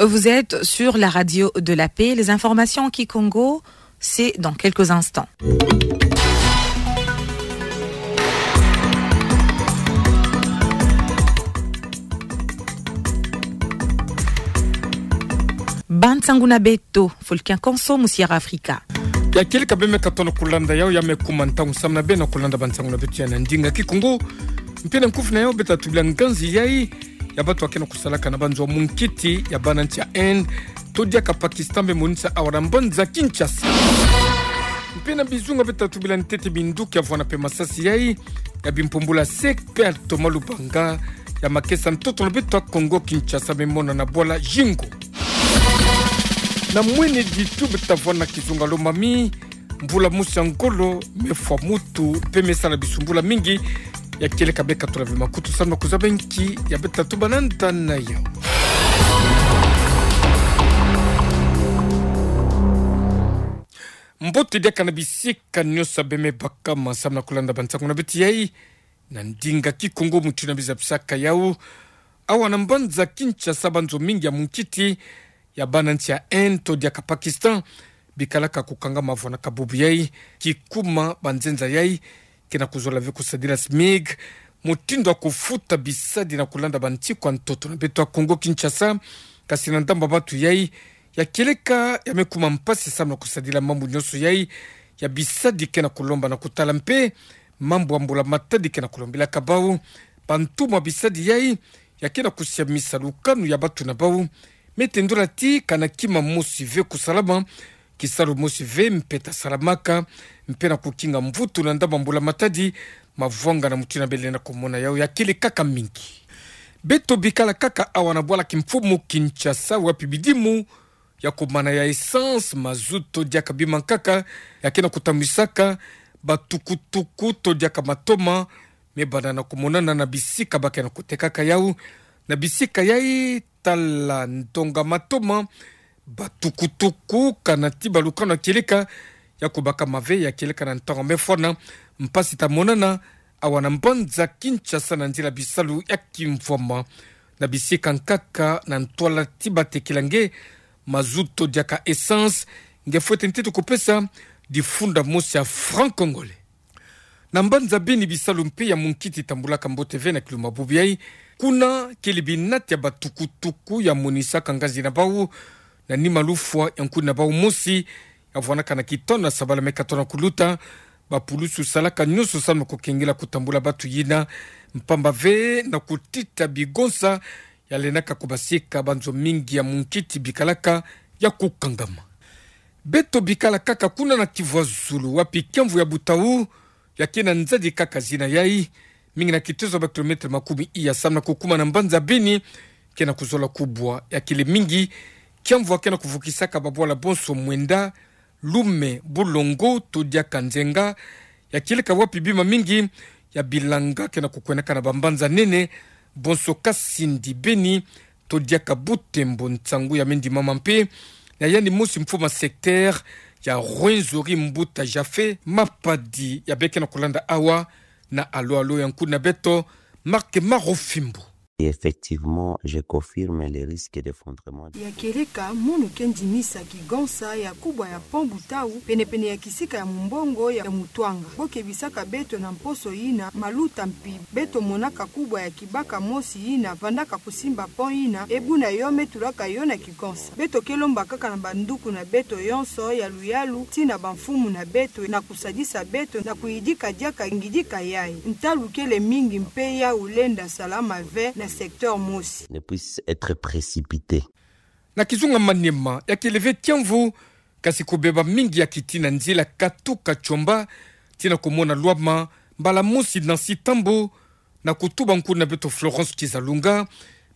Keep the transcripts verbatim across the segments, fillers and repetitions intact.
Vous êtes sur la radio de la paix. Les informations en kikongo, c'est dans quelques instants. Bansangu na beto, fo likian konso mu Sierra Africa. Ya kieleka bê me katona kulanda yau, ya me kuma ntangu samu na bê na kulanda bansangu na beto ya na ndinga kikongo. Mpe na nkufi na yau bê ta tubila nganzi yai ya bato ake na kusalaka na banzo ya mungkiti ya bana nsi ya Inde, to diaka Pakistan, bê monisa awa na mbanza Kinshasa. Mpe na bizunga bê ta tubila ntete binduki ya vwanda mpe masasi yai ya bimpumbula seke mpe ya toma lubanga ya makesa ntoto na beto ya Kongo Kinshasa, me mona na bwala Zingo. Na mwene ditu bê ta vwanda kizunga lomami, mvula mosi ya ngolo me fwa mutu mpe me sala bisumbula mingi. Ya kieleka bê katula ve makutu samu na kuzaba nki ya bê ta tuba na nda na yau. Mbote diaka na bisika nyonso bê me bakama samu na kulanda bansangu na beto yai na ndinga kikongo mutindu na mbi zabisaka yau. Awa na mbanza Kinshasa, banzo mingi ya mungkiti ya bana nsi ya Inde to diaka Pakistan bikalaka kukangama vwanda kabubu yai, kikuma banzenza yai ke na kuzola ve kusadila SMIC, mutindu ya kufuta bisadi na kulanda bantikwa ntoto na beto ya Kongo Kinshasa. Kasi na ndambu ya bato yai, ya kieleka ya me kuma mpasi samu na kusadila mambu nyonso yai ya bisadi ke na kulomba na kutala mpe mambu ya mbula matadi ke na kulombilaka bau. Bantumwa bisadi yai ya ke na kusiamisa lukanu ya bato na bau. Me tendola ti kana kima mosi ve kusalama, kisalu mosi ve mpe ta salamaka, mpe na kukinga mvutu na ndambu ya mbula matadi. Mavwanga na mutindu na bê lenda kumona yau ya kele kaka mingi. Beto bikala kaka awa na bwala kimfumu Kinshasa, wapi bidimu ya kumana ya essence, mazutu to diaka bima nkaka ya ke na kutambisaka batukutuku to diaka matoma me banda na kumonana na bisika ba ke na kutekaka yau. Na bisika yai, tala ndonga matoma, batukutuku, kana ti balukanu ya kieleka ya kubakama ve, ya kieleka na ntangu me fwana. Mpasi ta monana awa na mbanza Kinshasa na nzila bisalu ya kimvwama. Na bisika nkaka na ntwala ti batekila nge mazutu to diaka essence, nge fwete ntete kupesa difunda mosi ya franc congolais. Na mbanza Beni, bisalu mpe ya munkiti tambulaka mbote ve na kilumbu bubu yai. Kuna kele binati ya batukutuku ya monisaka ngazi na bau na nima lufwa ya nkuni na bau mosi ya vwanaka na kitono na sabala me katona kuluta. Bapulusu salaka nyonso samu na kukengela kutambula batu yina, mpamba ve na kutita bigonsa ya lendaka kubasika banzo mingi ya munkiti bikalaka ya kukangama. Beto bikala kaka kuna na Kivu ya Zulu, wapi kiamvu ya Butau ya ke na nzadi kaka zina yai, mingi na kitezo ba kilomètre makumi iya samu na kukuma na mbanza Beni, ke na kuzola kubwa. Ya kele mingi kiamvu ya ke na kuvukisaka babwala bonso mwenda, Lume, Bulongo to diaka Nzenga. Ya kieleka wapi bima mingi ya bilanga ke na kukwendaka na bambanza nene, bonso Kasindi, Beni to diaka Butembo, nsangu ya me ndimama mpe na yandi mosi mfumu ya secteur ya Rwenzori, Mbuta Japhet Mapadi, ya bê ke na kulanda awa na Alo Alo ya nkuni na beto, Marc Marofimbo. Et effectivement, je confirme les risques d'effondrement. Ya kieleka, munu ke ndimisa kigonsa ya kubwa ya pont Butau, penepene ya kisika ya mumbongo ya Mutuanga. Bo kebisaka beto na mposo yina, maluta mpi beto monaka kubwa ya kibaka mosi yina vandaka kusimba pont yina, e buna yo me tulaka yo na kigonsa. Beto ke lomba kaka na banduku na beto yonso ya luyalu, tii na bamfumu na beto, na kusadisa beto na kuyidika diaka ngidika yai. Ntalu kele mingi mpe yau lenda salama ve na secteur mosi. Ne puisse être précipité. Na kizunga Maniema, ya kele ve kiamvu, kasi kubeba mingi ya kiti na nzila katuka Tshomba tii na kumona Lwama, mbala mosi Nancy Tambo, na kutuba nkuni na beto Florence Kizalunga,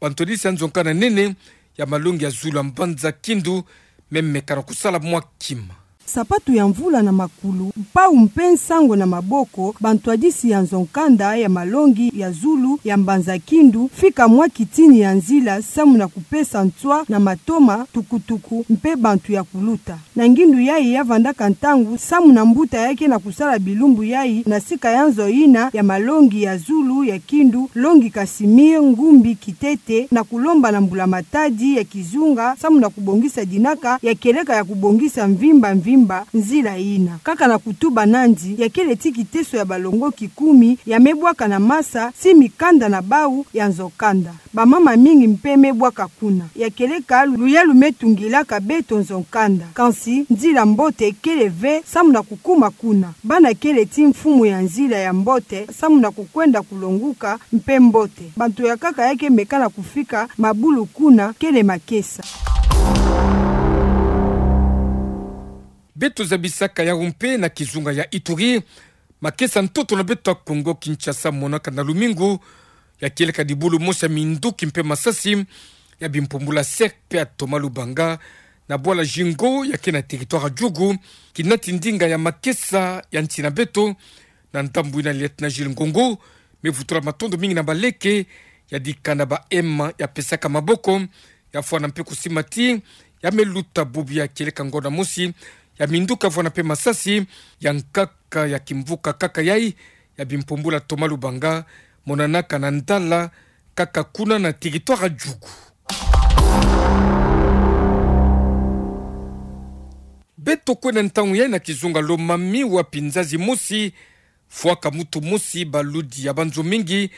bantwadisi ya nzo nkana nene ya malongi ya zulu ya mbanza Kindu me meka na kusala mwa kima. Sapatu ya mvula na makulu, mpau mpe nsango na maboko, bantwadisi ya nzo-nkanda ya malongi ya zulu ya Mbanza Kindu fika mwa kitini ya nzila samu na kupesa nswa na matoma, tukutuku mpe bantu ya kuluta. Na ngindu yayi ya vandaka ntangu samu na mbuta ya ke na kusala bilumbu yayi na sika ya nzo yina ya malongi ya zulu ya Kindu, Longi Casimir Ngumbi Kitete, na kulomba na mbula-matadi ya kizunga samu na kubongisa dinaka ya kieleka ya kubongisa mvimba mvimba nzila yina. Kaka na kutuba nandi, ya kele ti kiteso ya balongoki kumi ya me bwaka na masa ti mikanda na bau ya nzo-nkanda. Bamama mingi mpe me bwaka kuna. Ya kieleka luyalu me tungilaka beto nzo-nkanda. Kansi nzila mbote kele ve samu na kukuma kuna. Bana kele ti mfumu ya nzila ya mbote samu na kukwenda kulonguka mpe mbote. Bantu ya nkaka ya ke meka na kufika mabulu kuna kele makesa. Beto zabisaka yawu mpe na kizunga ya Ituri. Makesa ntoto na beto ya Kongo Kinshasa monaka na lumingu ya kieleka dibulu mosi ya minduki mpe masasi ya bimpumbula sec mpe ya Thomas Lubanga na bwala Zingo ya ke na territoire ya Djugu, kinati ndinga ya makesa ya nsi na beto. Na ndambu yina Lieutenant Gilles Ngongo me vutula matondo mingi na baleke ya dikana ba ema ya pesaka maboko, ya fwana mpe kusimba ti ya me luta bubu ya kieleka ngonda mosi ya minduki ya fwana mpe masasi ya nkaka ya kimvuka kaka yayi ya bimpumbula Thomas Lubanga, monanaka na Ndala kaka kuna na territoire ya Djugu. Beto kwenda ntangu yayi na kizunga Lomami, wapi nzazi mosi fwaka mutu mosi baludi ya banzo mingi,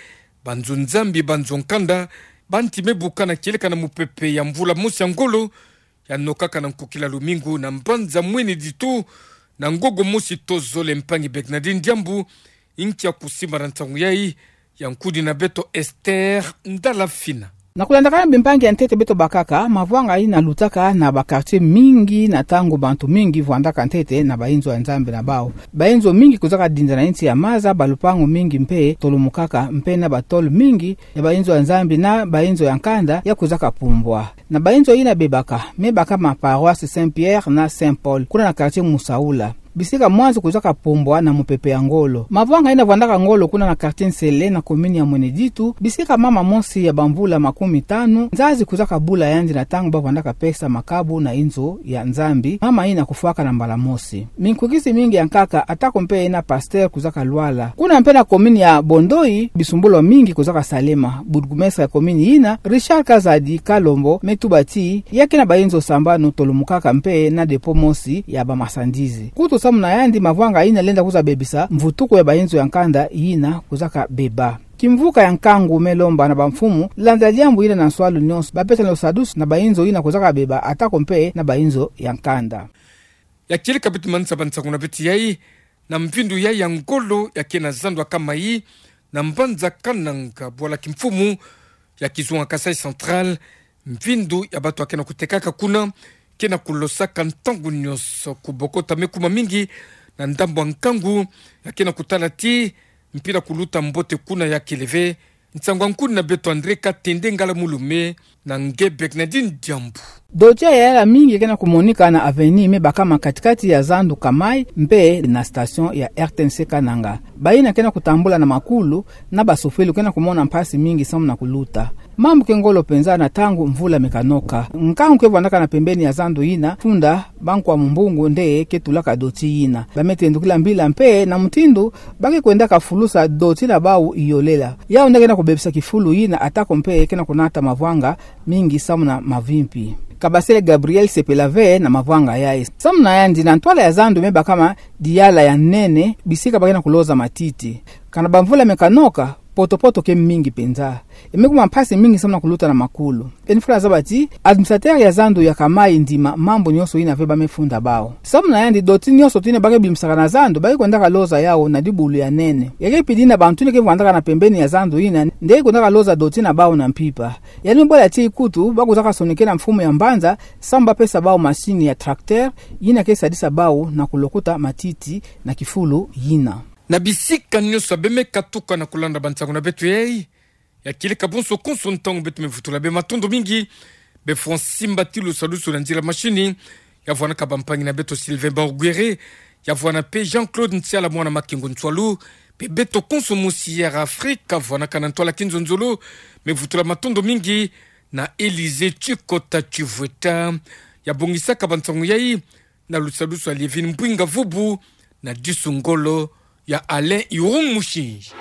banzo-nzambi, banzo-nkanda, banti me buka na kieleka na mupepe ya mvula mosi ya ngolo ya nokaka na nkukila lumingu na mbanza Mwene Ditu, na ngogo mosi to zole. Mpangi Bernardine Diambu inki ya kusimba na nsangu yayi, ya nkudi na beto Esther Ndala Fina. Na kulandakana bimpangi ya ntete beto bakaka, mavwanga yina lutaka na ba quartier mingi na ntangu bantu mingi vwandaka ntete na bainzo ya Nzambi na bau. Bainzo mingi kuzaka dinda na nsi ya maza, balupangu mingi mpe tolomukaka, mpe na ba tôle mingi ya bainzo ya Nzambi na bainzo ya nkanda ya kuzaka pumbwa. Na bainzo yina bebaka, me baka ma paroisse Saint-Pierre na Saint-Paul, kuna na quartier Musaula. Bisika mwanzu kuzaka pumbwa na mupepe ya ngolo. Mavwanga yina vwandaka ngolo kuna na quartier Nsele na commune ya Mwene Ditu, bisika mama mosi ya bamvula makumi tanu, nzazi kuzaka bula yandi na ntangu ba vwandaka pesa makabu na inzo ya Nzambi, mama yina kufwaka na mbala mosi. Minkukisi mingi ya nkaka, atako mpe na pasteur kuzaka lwala. Kuna mpe na commune ya Bondoi, bisumbulu mingi kuzaka salema. Bourgmestre ya commune yina, Richard Kazadi Kalombo, me tuba ti ya ke na bainzo sambanu tolomukaka mpe na dépôt mosi ya ba marchandises. Kutu samu na yandi mavwanga yina lenda kuza bebisa mvutuku ya bainzo ya nkanda yina kuzaka beba. Kimvuka ya nkangu me lomba na bamfumu, landa diambu yina na nswalu nyonso, bapesa lusadusu na bainzo yina kuzaka beba, atako mpe na bainzo ya nkanda. Ya kieleka beto manisa ba nsangu na beto yayi, na mvindu yayi ya ngolo ya ke na zandu ya Kamayi, na mbanza Kananga, bwala kimfumu ya kizunga Kasaï Central, mvindu ya bato ya ke na kutekaka kuna ke na kulosaka ntangu nyonso. Kubokota me kuma mingi na ndambu ya nkangu ya ke na kutala ti mpila kuluta mbote kuna ya kele ve. Nsangu ya nkudi na beto André Katende Ngala Mulume na nge Bernardine Diambu. Doti ya yala mingi ke na kumonika na avenue me baka ma kati-kati ya zandu Kamayi mpe na station ya R T N C Kananga. Bayina ke na kutambula na makulu na basofele ke na kumona mpasi mingi samu na kuluta. Mambu ke ngolo penza na ntangu mvula me kanoka. Nkangu ke vwandaka na pembeni ya zandu yina funda bankwa mumbungu nde ke tulaka doti yina. Ba me tendukila mbila mpe na mutindu ba ke kwendaka fulusa doti na bau iolela. Yau nde ke na kubebisa kifulu yina, atako mpe ke na kunata mavwanga mingi samu na mavimpi. Kabasele Gabriel sepela ve na mavwanga yayi. Samu na yandi, na ntwala ya zandu me baka ma diyala ya nene, bisika ba ke na kuloza matiti. Kana bamvula me kanoka, poto-poto ke mingi penza. E me kuma mpasi mingi samu na kuluta na makulu. Eni fula zaba ti administrateur ya zandu ya Kamayi ndima mambu nyonso yina ve ba me funda bau. Samu na yandi, doti nyonso yina ba ke bimisaka na zandu, ba ke kwendaka loza yau na dibulu ya nene. Ya ke pidi na bantu yina ke vwandaka na pembeni ya zandu yina, nde ke kwendaka loza doti na bau na mpimpa. Yandi me bola ti kutu ba kuzaka sonikena mfumu ya mbanza samu ba pesa bau machine ya tracteur yina ke sadisa bau na kulokuta matiti na kifulu yina. Na bisika nyonso ya be me katuka na kulanda ba nsangu na beto yayi, ya kieleka bonso konso ntangu beto me vutula be matondo mingi. Be fwa simba ti lusadusu na nzila machine Ya vwanaka bampangi na beto Sylvain Baruguere, ya vwana pe Jean-Claude Ntiala mwana Makengo Nsualu, pe beto konso mosi Air Afrique, ya vwanaka na ntwala ki nzonzolo, me vutula matondo mingi na Elysée Tchikota Tchivweta. Ya bongisaka bansangu yayi na lusalusu ya Lievine Mbwinga Vubu, na disu ngolo ya Alain Irung Mushinji.